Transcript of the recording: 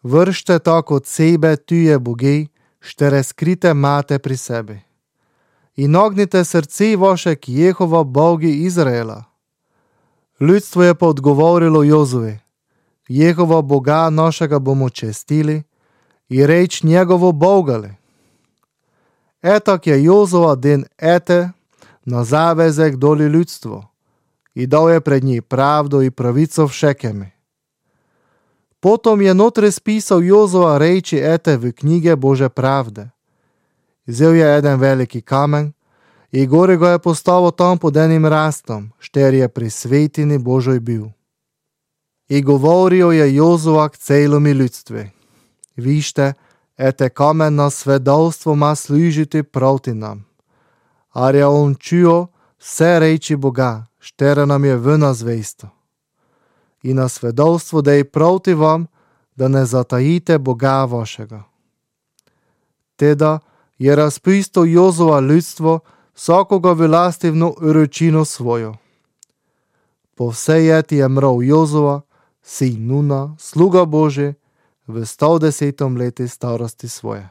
Vršte tak od sebe tuje bogi, štere skrite mate pri sebi. I nagnite srce vaše k Jehova Bogi Izraela. Ljudstvo je pa odgovorilo Jozuvi: Jehova Boga našega bomo čestili i reč njegovo bogali. Etak je Jozua den ete na zavezek doli ljudstvo i dal je pred njih pravdu i pravico v Šekemi. Potom je notri spisal Jozua reči ete v knjige Bože pravde. Vzel je eden veliki kamen i gori ga je postavil tam pod enim rastom, šter je pri svetini Božoj bil. I govorio je Jozua k celomi ljudstvi: Vište, ete kamen na svedovstvo ma služiti proti nam. Ar je on čuo vse reči Boga, štere nam je vna zvesto. I na svedovstvo dej proti vam, da ne zatajite Boga vašega. Teda je razpisal Jozua ljudstvo, vsakoga vylastivno uročino svojo. Po vsej jeti je mrov Jozua, sin Nuna, sluga Boži, v 110 leti starosti svoje.